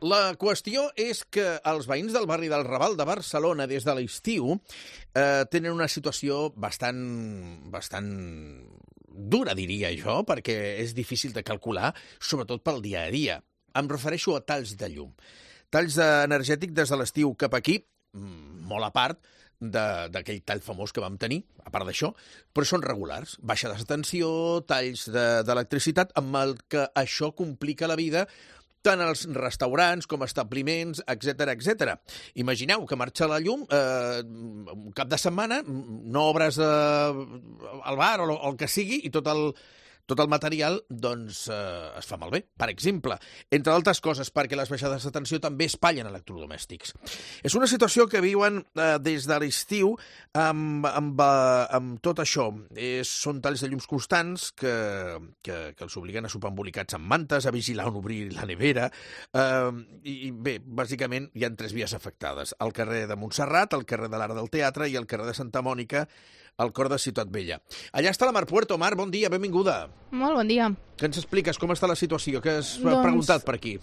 La qüestió és que els veïns del barri del Raval de Barcelona des de l'estiu tenen una situació bastant dura, diria jo, perquè és difícil de calcular, sobretot pel dia a dia. Em refereixo a talls de llum. Talls energètics des de l'estiu cap aquí, molt a part d'aquell tall famós que vam tenir, a part d'això, però són regulars. Baixades de tensió, talls d'electricitat, amb el que això complica la vida tant als restaurants com establiments, etc. Imagineu que marxa la llum un cap de setmana, no obres al bar o el que sigui i tot el material doncs, es fa malbé, per exemple. Entre altres coses, perquè les baixades de tensió també espatllen electrodomèstics. És una situació que viuen des de l'estiu amb tot això. Són talls de llums constants que els obliguen a sopar embolicats amb mantes, a vigilar on obrir la nevera. I bé, bàsicament hi ha 3 vies afectades. El carrer de Montserrat, el carrer de l'Arc del Teatre i el carrer de Santa Mònica, al cor de Ciutat Vella. Allà està la Mar Puerto. Mar, bon dia, benvinguda. Molt bon dia. Què ens expliques? Com està la situació? Què has preguntat per aquí?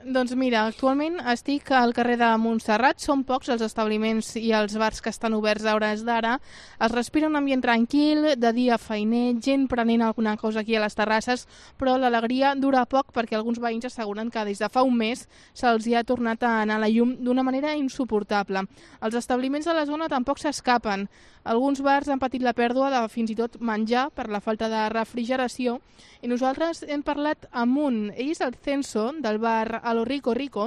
Doncs mira, actualment estic al carrer de Montserrat. Són pocs els establiments i els bars que estan oberts a hores d'ara. Es respira un ambient tranquil, de dia feiner, gent prenent alguna cosa aquí a les terrasses, però l'alegria dura poc perquè alguns veïns asseguren que des de fa un mes se'ls hi ha tornat a anar la llum d'una manera insuportable. Els establiments de la zona tampoc s'escapen. Alguns bars han patit la pèrdua de fins i tot menjar per la falta de refrigeració i nosaltres hem parlat amb un. Ell és el Censo del bar A lo Rico Rico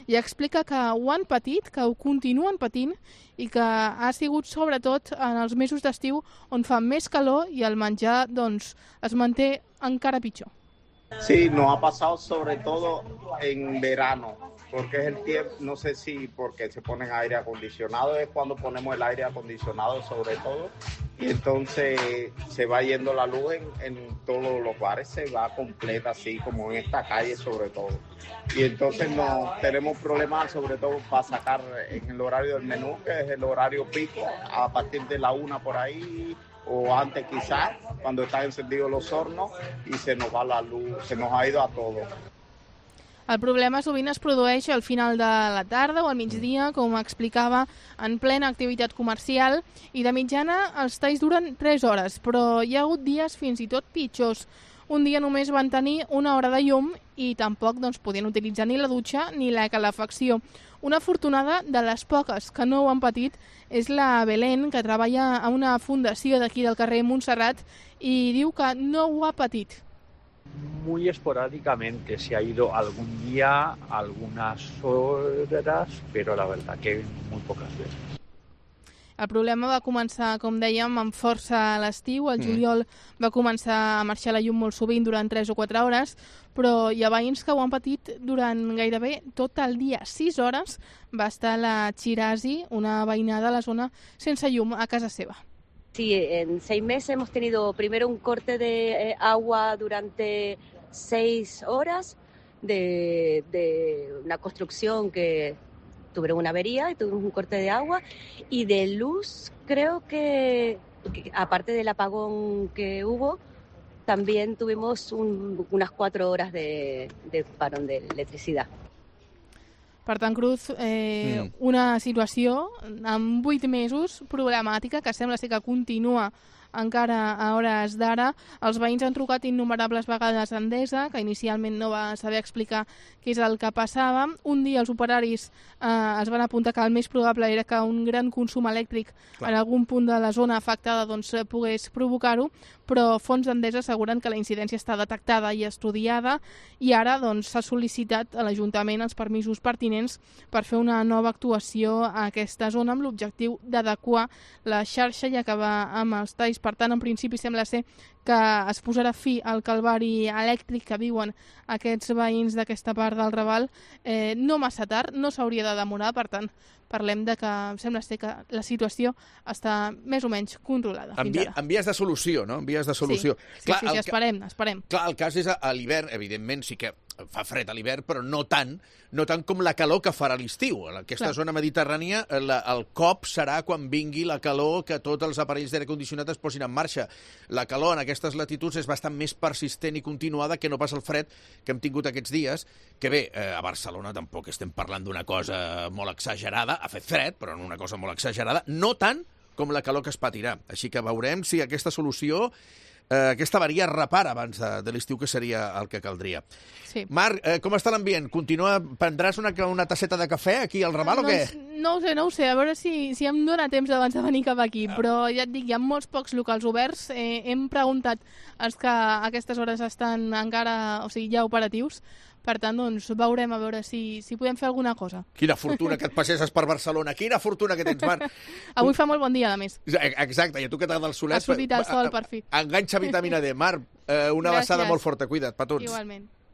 i explica que ho han patit, que ho continuen patint i que ha sigut sobretot en els mesos d'estiu on fa més calor i el menjar doncs, es manté encara pitjor. Sí, nos ha pasado sobre todo en verano, porque es el tiempo, no sé si porque se ponen aire acondicionado, es cuando ponemos el aire acondicionado sobre todo, y entonces se va yendo la luz en todos los bares, se va completa así como en esta calle sobre todo. Y entonces no tenemos problemas sobre todo para sacar en el horario del menú, que es el horario pico, a partir de la 1 por ahí, o antes quizás, cuando están encendidos los hornos y se nos va la luz, se nos ha ido a todo. El problema sovint es produeix al final de la tarda o al migdia, com explicava, en plena activitat comercial, i de mitjana els talls duren 3 hores, però hi ha hagut dies fins i tot pitjors. Un dia només van tenir 1 hora de llum i tampoc podien utilitzar ni la dutxa ni la calefacció. Una afortunada de les poques que no ho han patit és la Belén, que treballa a una fundació d'aquí del carrer Montserrat i diu que no ho ha patit. Muy esporádicamente, se ha ido algún día, algunas horas, pero la verdad que muy pocas veces. El problema va començar, com dèiem, amb força a l'estiu. El juliol va començar a marxar la llum molt sovint durant 3 o 4 hores, però hi ha veïns que ho han patit durant gairebé tot el dia. 6 hores va estar la Chirasi, una veïna de la zona, sense llum a casa seva. Sí, en 6 meses hemos tenido primero un corte de agua durante 6 horas de una construcción que tuvieron una avería y tuvimos un corte de agua y de luz creo que aparte del apagón que hubo, también tuvimos unas 4 horas de parón de electricidad. Per tant, Cruz, una situació en 8 mesos problemàtica que sembla ser que continua encara a hores d'ara. Els veïns han trucat innumerables vegades a Endesa, que inicialment no va saber explicar què és el que passava. Un dia els operaris es van apuntar que el més probable era que un gran consum elèctric en algun punt de la zona afectada pogués provocar-ho, però fons d'Endesa asseguren que la incidència està detectada i estudiada i ara s'ha sol·licitat a l'Ajuntament els permisos pertinents per fer una nova actuació a aquesta zona amb l'objectiu d'adequar la xarxa i acabar amb els talls. Per tant, en principi sembla ser que es posarà fi al calvari elèctric que viuen aquests veïns d'aquesta part del Raval. No massa tard, no s'hauria de demorar, per tant, parlem de que sembla ser que la situació està més o menys controlada fins ara. En vies de solució, no? En vies de solució. Sí, esperem. Clar, el cas és a l'hivern, evidentment sí que fa fred a l'hivern, però no tant no tant com la calor que farà l'estiu. En aquesta zona mediterrània el cop serà quan vingui la calor, que tots els aparells d'aire condicionat es posin en marxa. La calor en aquestes latituds és bastant més persistent i continuada que no pas el fred que hem tingut aquests dies, que bé, a Barcelona tampoc estem parlant d'una cosa molt exagerada, ha fet fred, però no una cosa molt exagerada, no tant com la calor que es patirà. Així que veurem si aquesta solució, aquesta avaria es repara abans de l'estiu, que seria el que caldria. Sí. Marc, com està l'ambient? Prendràs una tasseta de cafè aquí al Raval o què? No ho sé, a veure si em dóna temps abans de venir cap aquí, però ja et dic, hi ha molts pocs locals oberts. Hem preguntat els que a aquestes hores estan encara, o sigui, ja operatius. Per tant, doncs, veurem a veure si podem fer alguna cosa. Quina fortuna que et passeses per Barcelona, quina fortuna que tens, Marc. Avui fa molt bon dia, a més. Exacte, i a tu que t'agrada el solet... Ha sortit el sol, per fi. Enganxa vitamina D. Marc, una abraçada molt forta, cuida't, petons. Igualment.